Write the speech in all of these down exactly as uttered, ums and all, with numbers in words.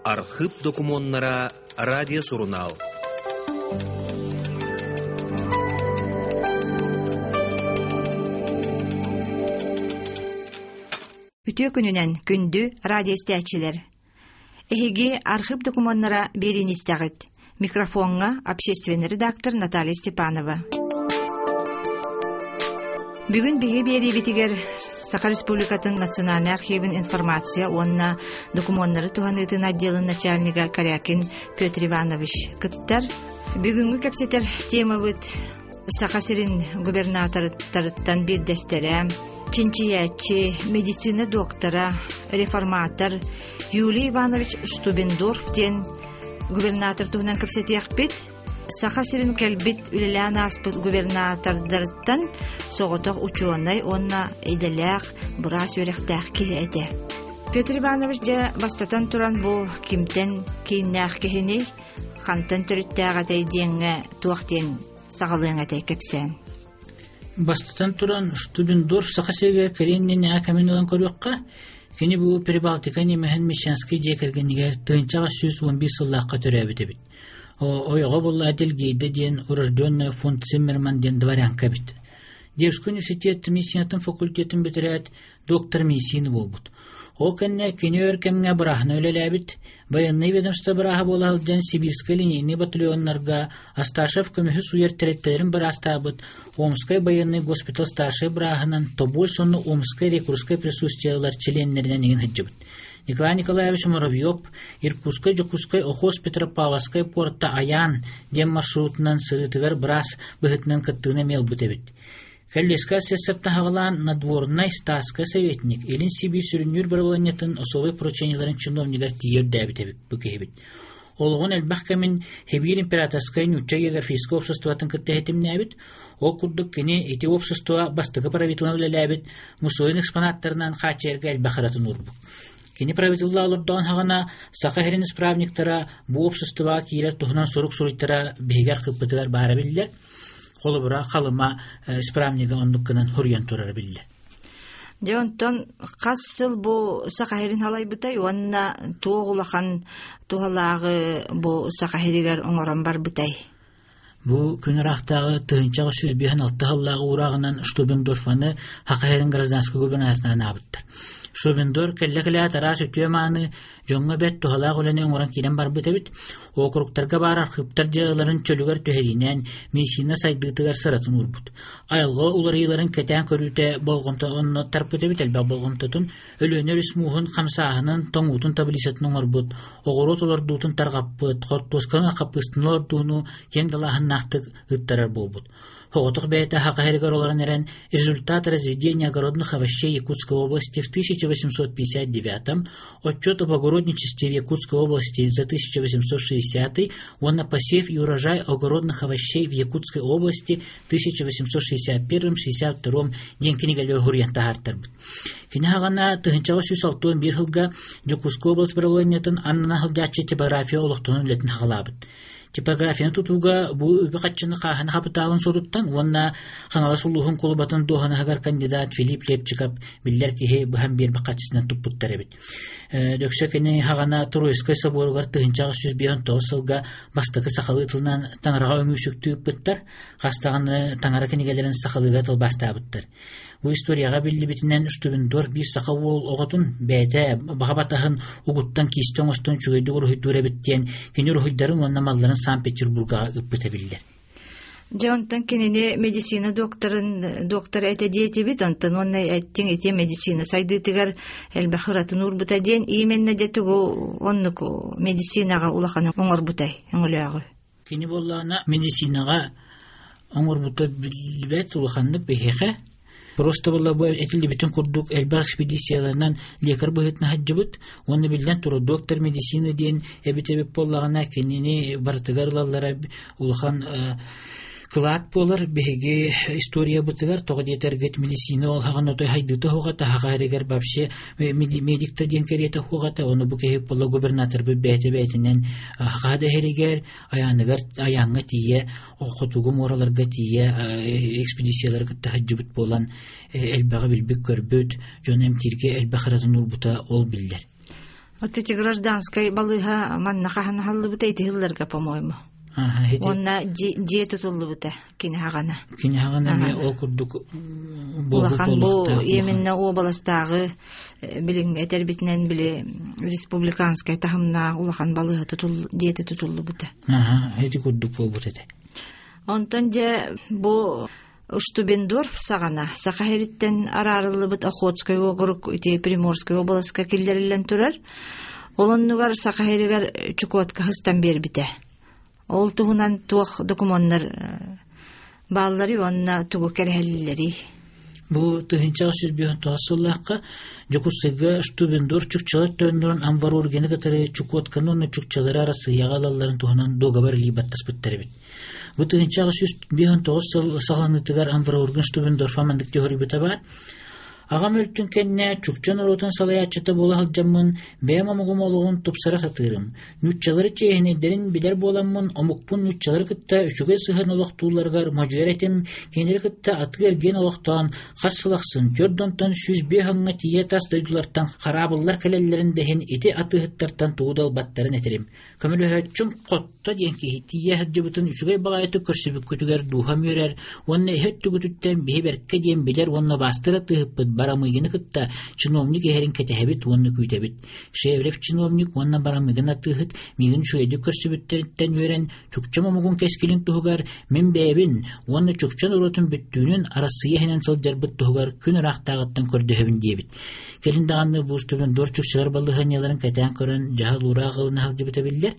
Архив документтара радио-журнал. Үтүө күнүнэн күндү радиоистээччилэр. Эһиги архив документтара биэриини истэҕит. Микрофоҥҥа общественный редактор Наталья Степанова. Бүгүн биһи биэриибитигэр Саха Республикатын Национальнай архивын информация уонна докуменнары туһаныытын отделын начальнига Корякин Петр Иванович кыттар. Бүгүҥҥү кэпсэтэр темабыт Саха сирин губернаторыттарыттан биирдэстэрэ, чинчийээччи, медицина доктора, реформатор Юлий Иванович Штубендорф диэн губернатор туһунан кэпсэтиэхпит. Саха сирин кэлбит үлэлээн ааспыт губернатордарыттан соҕотох учуонай уонна идэлээх быраас үөрэхтээх киһи этэ. Петр Иванович дьэ бастатан туран бу кимтэн кииннээх киһини хантан төрүттээх этэй диэҥҥэ туох диэн саҕалыаҥ этэй кэпсээн. Бастатан туран Штубендорф Саха сиригэр кэлиэн кэмин ылан көрүөххэ, кини бу Прибалтика немеһин Мещанский дьиэ кэргэнигэр тыһыынчаҕа сүүс уон биир сыллаахха төрөөбүт эбит. Ойоҕо буолла Адельгейда диэн урожденная фон Циммерман диэн дворянка эбит. Дербский университет медицинатын факультетын бүтэрээт доктор медицины буолбут. Ол кэннэ кини өр кэмҥэ бырааһына үлэлээбит, военный ведомство бырааһа буола сылдьан Сибирскэй линейный батальоннарга Асташев көмүһү суйар тэрилтэлэрин быраастаабыт, Омскай военный госпиталь старшай бырааһынан Тобольск уонна Омскай рекрутскай присутствиелар чилиэннэринэн иҥин сылдьыбыт. Николай Николаевич Муравьев Иркутскай, Дьокуускай, Охос, Петропавловскай порта Аян диэн маршрутунан сырыытыгар быраас быһыытынан кыттыыны эмиэ ылбыт эбит. Кэллиэскэ сессаптаһаҕалаан надворнай статскай советник Илин Сибиир сүрүннүүр барыланньатын особой поручениеларын чиновнигар тиийэр дээбит эбит бу киһибит. Олоҕун элбэх кэмин Хибиир императорскай нуучча географическай обществотын кытта иһитимнээбит, ол курдук кини ити общество бастакы правителын үлэлээбит мусойун экспонаттарынан хааччыйарга элбэх ыратын уурбут. Кини правителла олордоон хаҕана Саха сирин исправниктара бу обществоҕа киирэр туһунан сурук суруйтара биһигэр кыппытыгар баара биллэр. Холобура халыма исправнига оннук гынан хоруйан турара биллэр. Дьэ онтон хас сыл бу Саха сирин халайбытай уонна туох улахан туһалааҕы бу Саха сиригэр оҥорон барбытай? Бу күн ыраахтааҕы тыһыынчаҕа сүүс биэс алта сыллааҕы уурааҕынан Штубендорфаны Саха сирин гражданскай губернаторынан аабыттар. Штубендорф кэллэ-кэлээт араас үтүө мааны дьоҥҥо бэрт туһалаах үлэни оҥорон киирэн барбыт эбит. Округтарга баар архыыптар дьыалаларын чөлүгэр түһэриинэн медицина сайдыытыгар сыратын уурбут. Айылҕа уларыйыыларын кэтээн көрүүтэ болҕомто онно тарпыт эбит, элбэх болҕомтотун Өлүөнэ өрүс мууһун хамсааһынын тоҥуутун таблицатын оҥорбут, оҕуруот олордуутун тарҕаппыт, хортуосканы хаппыыстын олордууну киэҥ далааһыннаахтык ыттарар буолбут. Хоҕотох бэйэтэ Саха сиригэр олорон эрэн результат разведения огородных овощей Якутской области в тысяча восемьсот пятьдесят девятом, отчет об огородничестве в Якутской области за тысяча восемьсот шестидесятый, уонна посев и урожай огородных овощей в Якутской области тысяча восемьсот шестьдесят первом шестьдесят втором диэн кинигэлэр хоруйан таһаартарбыт. Кини хаҕана тыһыынчаҕа сүүс алтыан биир сылга Дьокуускай область правлениетын аннынан сылдьааччы типография олохтонун үлэтин хаҕалаабыт. Типографияны тутууга бу үбү хаччыны хааһына хапытаалын суруттан уонна Хаҥалас улууһун кулубатын дуоһанаһыгар кандидат Филипп Лепчиков биллэр киһи быһан биэрбэх хаччысынан туппуттар эбит. Дөксө кини хаҕана Троицкай соборугар тыһыынчаҕа сүүс биэс тоҕус сылга бастакы сахалыы тылынан таҥараҕа өҥүүсүктүү ыппыттар, хастаҕаны таҥара кинигэлэрин сахалыыга тылбаастаабыттар. Бу историяҕа биллибитинэн Штубендорф биир саха уол оҕотун бэйэтэ баҕа батаһын угуттан киистэ оҥостон үчүгэйдик уруһуйдуур эбит диэн кини уруһуйдарын уонна малларын Санкт-Петербургаҕа ыппыта биллэр. Дьэ онтон кинини медицина докторын доктор этэ диэтибит, онтон уонна эттиҥ ити медицина сайдыытыгар элбэх ыратын уурбута диэн именно дьэ тугу оннук медицинаҕа улахан оҥорбутай өҥөлөөҕү. Кини буоллаҕына медицинаҕа оҥорбута биллибэт улаханнык биһиэхэ. Просто была бы этилибитин курдук элбэх экспедицияларынан лекарь быһыытынан сылдьыбыт, уонна биллэн турар доктор медицины диэн эбит эбит буоллаҕына кинини барытыгар ылаллара улахан Кылаат буолар биһиги историябытыгар тоҕо диэтэргит медицина ол хаҕан отой хайдыта хуҕата хаҕа вообще медикта диэн кэриэтэ хуҕата ону бу киһи буола губернатор бэйэтэ бэйэтинэн хаҕа дэһэригэр аяныгар аяҥҥа тиийэ хотугу муораларга тиийэ экспедициялары кытта хаджыбыт буолан элбэҕи билбит көрбүт дьон эмтииргэ элбэх ыратын урбута ол биллэр. Вот эти гражданскай балыыһа манна хаһан халлыбыта итиһиллэргэ, по-моему. Онна дьиэ тутуллубута кини хаҕана. Кини хаҕана эмиэ ол курдук улахан бу именно уобаластааҕы билиҥ этэрбитинэн били республиканскай таһымнаах улахан балыыһа тутул дьиэтэ тутуллубута. Аха, ити курдук буолбут этэ. Онтон дьэ бу Штубендорф саҕана Саха сириттэн араарыллыбыт Охотскай уокурук ити Приморскай уобаласка киллэриллэн турар. Ол оннугар Саха сиригэр Чукотка хыстан биэрбитэ. Ол туһунан туох докумуоннар бааллары уонна тугу кэрэһэллэри. Бу тыһыынча сүүс биэс тоҕус сыллаахха Дьокуускайга Штубендорф чукчалар тойоннорун Амварургены кытары Чукотканы уонна чукчалары Арассыыйаҕа ылалларын туһунан дуогабар илии баттаспыттар эбит. Бу тыһыынча сүүс биэс тоҕус сыл саҕаланыытыгар Амварурген Штубендорфа маннык теорийбыта баар. Аҕам өлтүн кэннэ чукча норуотун салайааччыта буола сылдьаммын, бэйэм омугум олоҕун тупсара сатыырым. Нууччалары чиэһинэйдэрин билэр буоламмын, омукпун нууччалары кытта үчүгэй сыһыан олохтуулларыгар модьуйар этим, кинилэри кытта атыы эргиэн олохтоон, хас сылахсын төрт онтон сүүс биэс ыңҥа тиийэ тас дойдулартан хараабыллар кэлэллэрин дэһин ити атыыһыттартан тугу да ылбаттарын этэрим. Көмөлөһөөччүм хотто диэн киһи тиийэ сылдьыбытын үчүгэй баҕайытык көрсүбүккүтүгэр дууһам үөрэр, уонна иһэ өттүгүтүттэн биһи бэркэ диэн билэр уонна баастыра тыыһыппыт Барамыгины кытта чиновник эһэрин кэтэһэбит уонна күүтэбит. Шеврев чиновник уонна Барамыгын атыыһыт миигин үчүгэйдик көрсүбүттэриттэн үөрэн чукчам омугун кэскилин туһугар мин бэйэбин уонна чукча норуотун бүттүүнүн Арассыыйа иһинэн сылдьарбыт туһугар күн ыраахтааҕыттан көрдөһөбүн диэбит. Кэлин даҕаны бу Штубендорф чукчалар балыыһанньаларын кэтээн көрөн дьаһал уураах ылына сылдьыбыта биллэр.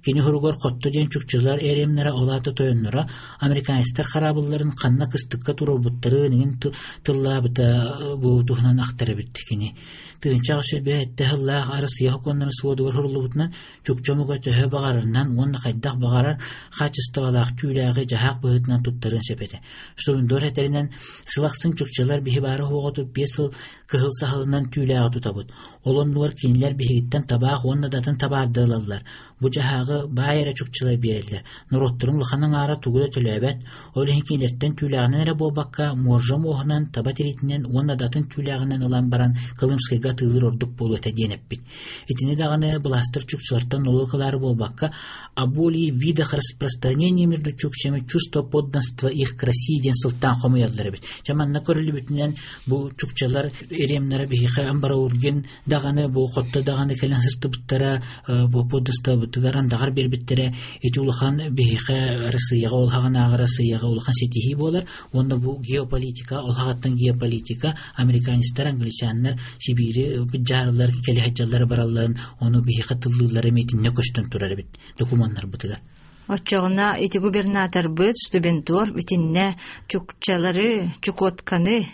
Кини хоругар хотто диэн чукчалар эремнэрэ олаата тойонноро американецтар хараабылларын ханна кыстыкка туруорбуттарын иҥин тыллаабыта бу туһунан ахтар эбит кини. Тыынча сүүс биэс сыллаах Арассыыйа сокуоннарын суодугар хуруллубутунан чукча омуга төһө баҕарарынан уонна хайдах баҕарар хаачыстыбалаах түүлээҕи дьаһаах быһыытынан туттарын сөп этэ. Штубендорф этэринэн сылахсын чукчалар биһи баары хуоҕутуп биэс сыл кыһыл саһылынан түүлээҕи тутабыт. Ол оннугар кинилэр биһигиттэн табаах уонна датын табаардылаллар. Бу дьаһааҕы баай эрэ чукчалар биэрэллэр. Норуотторун улахан аҥаара тугу да төлөөбөт. Ол иһин кинилэртэн түүлээҕинэн эрэ буолбакка, муоржа муоһунан, таба тириитинэн уонна датын түүлээҕинэн ылан баран Колымскайга атыылыыр ордук буолуо этэ диэн эппит. Итини даҕаны былаастар чукчалартан нолуок ылаары буолбакка, о более видах распространения между чукчами чувство подданства их к России диэн сылтаан хомуйаллар эбит. Дьэ манна көрүлүбүтүнэн бу чукчалар эремнэрэ биһиэхэ Амбараурген даҕаны бу хотто даҕаны кэлэн сыстыбыттара бу подданствобытыгар андаҕар биэрбиттэрэ ити улахан биһиэхэ Россияҕа ол хаҕанааҕы Россияҕа улахан ситиһии буолар. Уонна бу геополитика, ол хаҕаттан геополитика, американецтар, англичаннар Сибиири быдьаарылар кэлиһэдьаллары баралларын ону биһиэхэ тыллыыллары миитинне көстөн турар эбит докумуоннарбытыгар. Оччоҕуна ити губернаторбыт Штубендорф итиннэ чукчалары, Чукотканы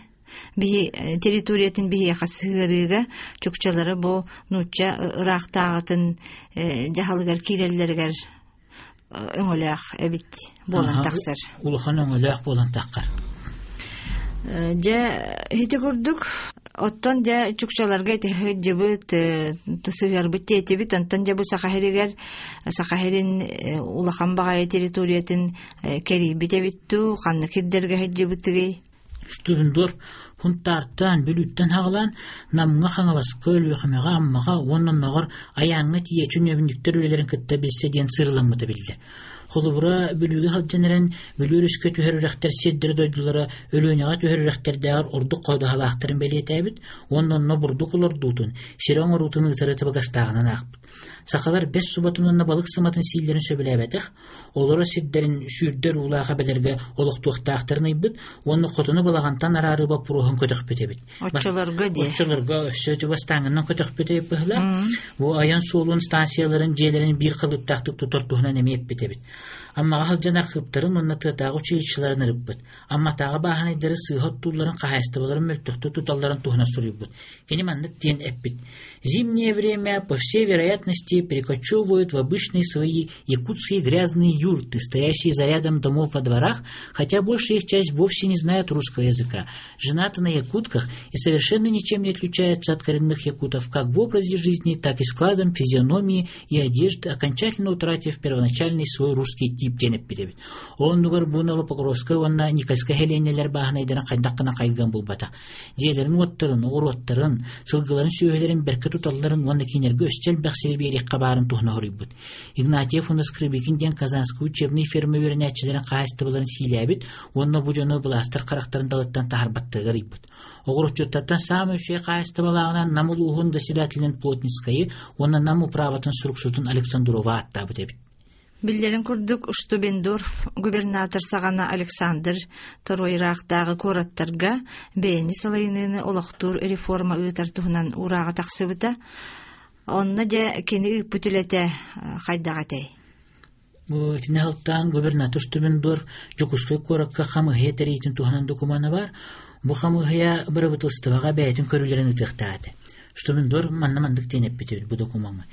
биһи территориятын биһиэхэ сыһыарыыга чукчалары бу нуучча ыраахтааҕытын дьаһалыгар киирэллэригэр өҥөлөөх эбит буолан тахсар. Улахан өҥөлөөх буолан таххар. Дьэ ити курдук оттон дьэ чукчаларга ити дьыбыт сыһыарбыт тиэтибит онтон дьэ бу Саха сиригэр Саха сирин улахан баҕайы территориятын кэрийбит эбит дуу ханна кирдэргэ сылдьыбытыгый. Штубендорф хунтаартан бүлүүттэн хаҕалаан Намҥа Хаҥаласка Өлүөхүмэҕэ Аммаҕа уонна оннооҕор Айааҥҥа тиийэ чүнүөбүнньүктэр үлэлэрин кытта билсэ диэн сырыламмыта биллэр. Холобура Бүлүүгэ сылдьан эрэн Бүлүү өрүскэ түһэр үрэхтэр сирдэрэ дойдулара Өлүөнэҕэ түһэр үрэхтэрдээҕэр ордук хоодуһалаахтарын бэлиэтээбит уонна онно бурдук олордуутун, сирэ оҥоруутун ыытары табыгастааҕынан аахпыт. Сахалар бэс субатын уонна балык сыматын сииллэрин сөбүлээбэтэх, олоро сирдэрин сүүрдэр уулааха бэлэргэ олохтуохтаахтарын ыйбыт уонна хотуну балаҕантан араары боппуруоһун көтөхпүт эбит. Оччолорго дии. Оччолорго өссө чугастааҥынан көтөхпүт эбит быһыылаах. Бу айан суолун станцияларын дьиэлэрин биир халыптаахтык тутар туһунан эмиэ эппит эбит. Аммаҕа сылдьан архыыптарын уонна тыатааҕы училищеларын ырыппыт. Амматааҕы бааһынайдары сыыһа оттуулларын, хаһаайыстыбаларын мөлтөхтүк туталларын туһунан суруйбут. Кини маннык диэн эппит: «Зимнее время, по всей вероятности, перекочевывают в обычные свои якутские грязные юрты, стоящие за рядом домов во дворах, хотя большая их часть вовсе не знает русского языка, женаты на якутках и совершенно ничем не отличаются от коренных якутов как в образе жизни, так и складом физиономии и одежды, окончательно утратив первоначальный свой русский тип» диэн эппит эбит. Оннугар бу Новопокровскай уонна Никольскай сэлиэнньэлэр бааһынайдарын хайдах гына хайгыан булбата. Дьиэлэрин уоттарын, оҕуруоттарын, сылгыларын сүөһүлэрин бэркэ туталларын уонна кинилэргэ өссө элбэх сири биэриэххэ баарын туһунан суруйбут. Игнатьев уонна Скрыбыкин диэн Казанскай учебнай ферма үөрэнээччилэрин хаһаайыстыбаларын сиилээбит уонна бу дьону былаастар харахтарын далыттан таһаарбаттарыгар ыйбыт. Оҕуруотчуттартан саамай үчүгэй хаһаайыстыбалааҕынан Нам улууһун заседателин Плотницкайы уонна Нам управатын суруксутун Александрова ааттаабыт эбит. Биллэрин курдук, Штубендорф губернатор саҕана Александр Второй ыраахтааҕы куораттарга бэйэни салайыныыны олохтуур реформа ыытар туһунан уурааҕа тахсыбыта. Онно дьэ кини ыыппыт үлэтэ хайдах этэй? Бу итини сылтаан губернатор Штубендорф Дьокуускай куоракка хамыыһыйа тэрийиитин туһунан докумуона баар. Бу хамыыһыйа бырабыыталыстыбаҕа бэйэтин көрүүлэрин ыытыахтаах этэ. Штубендорф манна маннык диэн эппит эбит бу докумуоҥҥа.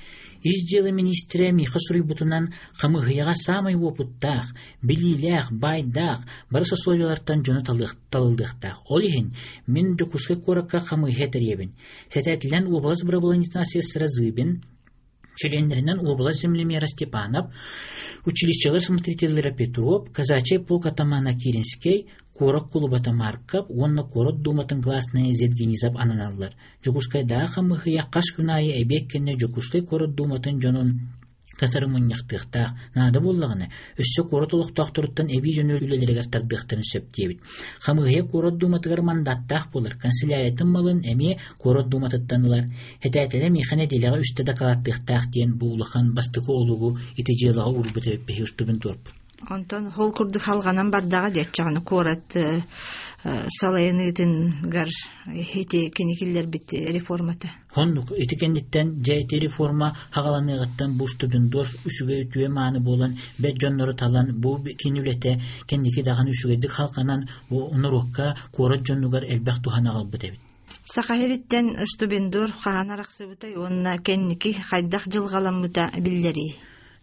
Ис дьыала миниистирэ миэхэ суруйбутунан хамыыһыйаҕа саамай уопуттаах, билиилээх, баайдаах, бары сословиелартан дьону талыллыахтаах. Ол иһин мин Дьокуускай куоракка хамыыһыйа тэрийэбин. Сэтээтилэн уобалас бырабылыанньатын асессора Зыбин, чилиэннэринэн уобалас землемера Степанов, училищелар смотрителлэрэ Петров, казачий полк атамана Киринскэй, куорат кулубата Марков уонна куорат дууматын гласная Зедгенизов ананаллар. Дьокуускайдааҕы хамыыһыйа хас күн аайы эбиэт кэннэ Дьокуускай куорат дууматын дьонун кытары мунньахтыахтаах. Наада буоллаҕына, өссө куорат олохтоохторуттан эбии дьону үлэлэригэр тардыахтарын сөп диэбит. Хамыыһыйа куорат дууматыгар мандаттаах буолар, канцеляриятын малын эмиэ куорат дууматыттан ылар. Сэтээтэлэ миэхэ нэдиэлэҕэ үстэ дакылааттыахтаах диэн бу улахан бастакы олугу ити дьыалаҕа уурбут эбит биһиги Штубендорфпут. Онтон ол курдук халҕанан бардаҕа диэччэҕини куорат салайыныытыгар ити кини киллэрбит реформата. Оннук ити кэнниттэн дьэ ити реформа хаҕаланыаҕыттан бу Штубендорф үчүгэй үтүө мааны буолан бэт дьоннору талан бу кини үлэтэ кэнники даҕаны үчүгэйдик халҕанан бу норуокка куорат дьонугар элбэх туһаны аҕалбыт эбит. Саха сириттэн Штубендорф хаһан арахсыбытай уонна кэнники хайдах дьылҕаламмыта биллэрий?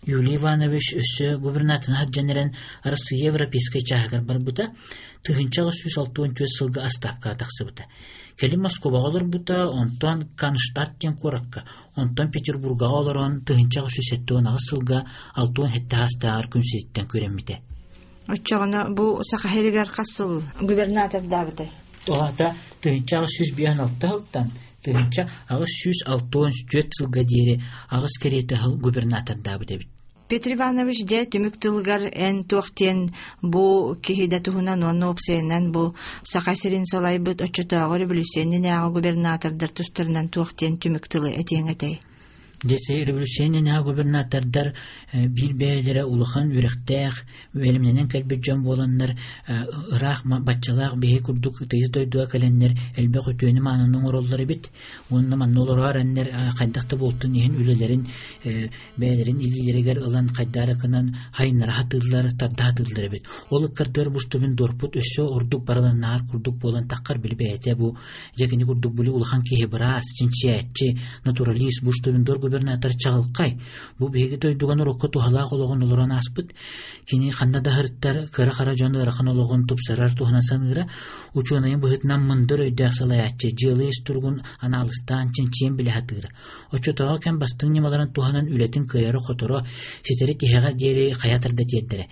Юлий Иванович өссө губернаторын сылдьан эрэн Россия европейскай чааһыгар барбыта, тыһыынча сүүс алта уон түөрт сылга отставкаҕа тахсыбыта. Кэлин Москваҕа олорбута, онтон Кронштадт диэн куоракка, онтон Петербургаҕа олорон тыһыынча сүүс сэттэ уон аҕыс сылга алта уон сэттэ саастааҕар күн сириттэн күрэммитэ. Оччоҕуна бу Саха сиригэр хас сыл губернатордаабытай? Ол аата тыһыынча сүүс биэс алта сылтан тыһыынча аҕыс сүүс алта уон түөрт сылга диэри аҕыс кэриэтэ сыл губернатордаабыт эбит. Петр Иванович дьэ түмүк тылыгар эн туох диэн бу киһи да туһунан уонна уопсайынан бу Саха сирин салайбыт оччотооҕу революционнааҕы губернатордар тустарынан туох диэн түмүк тылы этиэҥ этэй? Дьэ революционнааҕы губернатордар биир бэйэлэрэ улахан үрэхтээх, бэлэмнэнэн кэлбит дьон буоланнар ыраах баччалаах биһи курдук тыйыс дойдуга кэлэннэр элбэх үтүөнү маанын оҥороллор эбит. Уонна манна олорор эннэр хайдах да буолтун иһин үлэлэрин бэйэлэрин илиилэригэр ылан хайдаракынан хайыннара хатыыллар, тарда хатыыллар эбит. Ол ыккардыгар бу Штубендорфпут өссө ордук барыланнаар курдук буолан таххар били бэйэтэ бу дьэкини курдук били улахан киһи быраас, чинчийээччи, натуралист бу Штубендорф губернатор чаҕылхай. Бу биһиги дойдуга норуокка туһалаах олоҕун олорон ааспыт. Кини ханна да сырыттар кыра-хара дьон ыарахан олоҕун тупсарар туһунан саныыра, учуонайын быһыытынан мындыр өйдөөх салайааччы, дьыала ис туругун анаалыстаан чинчийэн билэ сатыыра. Оччотооҕу кэм бастыҥ ньымаларын туһанан үлэтин кыайара-хоторо, ситэри тиһэҕэр диэри хайа тарда тиэрдэрэ.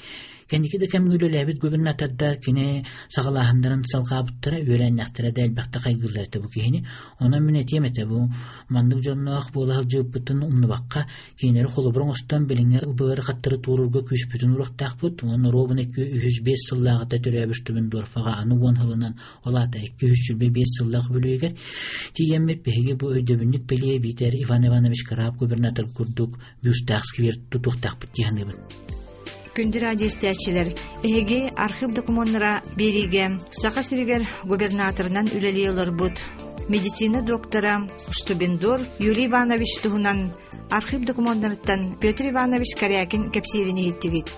Кэнники да кэмҥэ үлэлээбит губернатордар кини саҕалааһыннарын салҕаабыттара, үөрэннэхтэрэ да элбэхтэ хайгыыллар этэ бу киһини. Онон мин этиэм этэ бу маннык дьонноох буола сылдьыбыппытын умнубакка, кинилэри холобур оҥостон билиҥҥэ быары хаттары туорурга күүспүтүн уруохтаахпыт. Уонна ровно икки үһүс биэс сыллааҕыта төрөөбүт Штубендорфаҕа аны уон сылынан ол аата икки үһүс сүүрбэ биэс сыллаах бүлүүгэр тиийэммит биһиги бу өйдөбүнньүк бэлиэ биитэр Иван Иванович Краб губернатор курдук бюстаах сквер тутуохтаахпыт дии саныыбын. Күндү радиоистээччилэр, эһиги архив докумуоннара биэриигэ Саха сиригэр губернаторынан үлэлии олорбут медицина доктора Штубендорф Юлий Иванович туһунан архив докумуоннарыттан Петр Иванович Корякин кэпсиирин иһиттигит.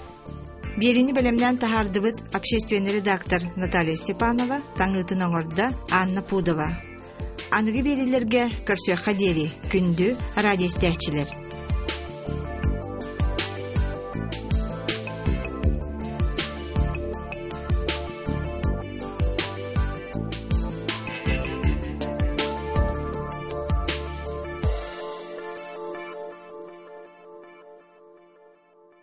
Биэриини бэлэмнээн таһаардыбыт общественный редактор Наталья Степанова, таҥыытын оҥордо Анна Пудова. Аныгы биэриилэргэ көрсүөххэ диэри күндү радио истээччилэр.